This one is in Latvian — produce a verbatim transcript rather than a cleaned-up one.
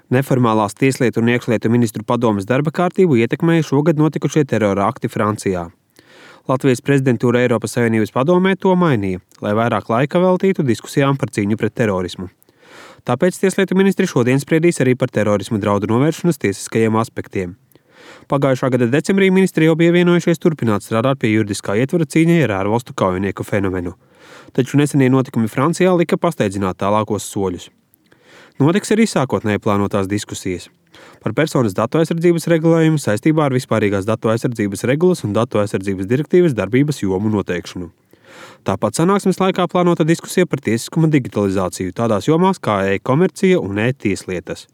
Neformālās tieslietu un iekšlietu ministru padomes darba kārtību ietekmēja šogad notikušie terora akti Francijā. Latvijas prezidentūra Eiropas Savienības padomē to mainīja, lai vairāk laika veltītu diskusijām par cīņu pret terorismu. Tāpēc tieslietu ministri šodien spriedīs arī par terorismu draudu novēršanas tiesiskajiem aspektiem. Pagājušā gada decembrī ministri jau bija vienojušies turpināt strādāt pie juridiskā ietvara cīņai ar ārvalstu kaujinieku fenomenu. Taču nesenie notikumi Francijā lika pasteidzināt tālākos soļus. Notiks arī sākotnēji plānotās diskusijas par personas datu aizsardzības regulējumu saistībā ar vispārīgās datu aizsardzības regulas un datu aizsardzības direktīvas darbības jomu noteikšanu. Tāpat sanāksmes laikā plānota diskusija par tiesiskuma digitalizāciju tādās jomās kā e-komercija un e-tieslietas.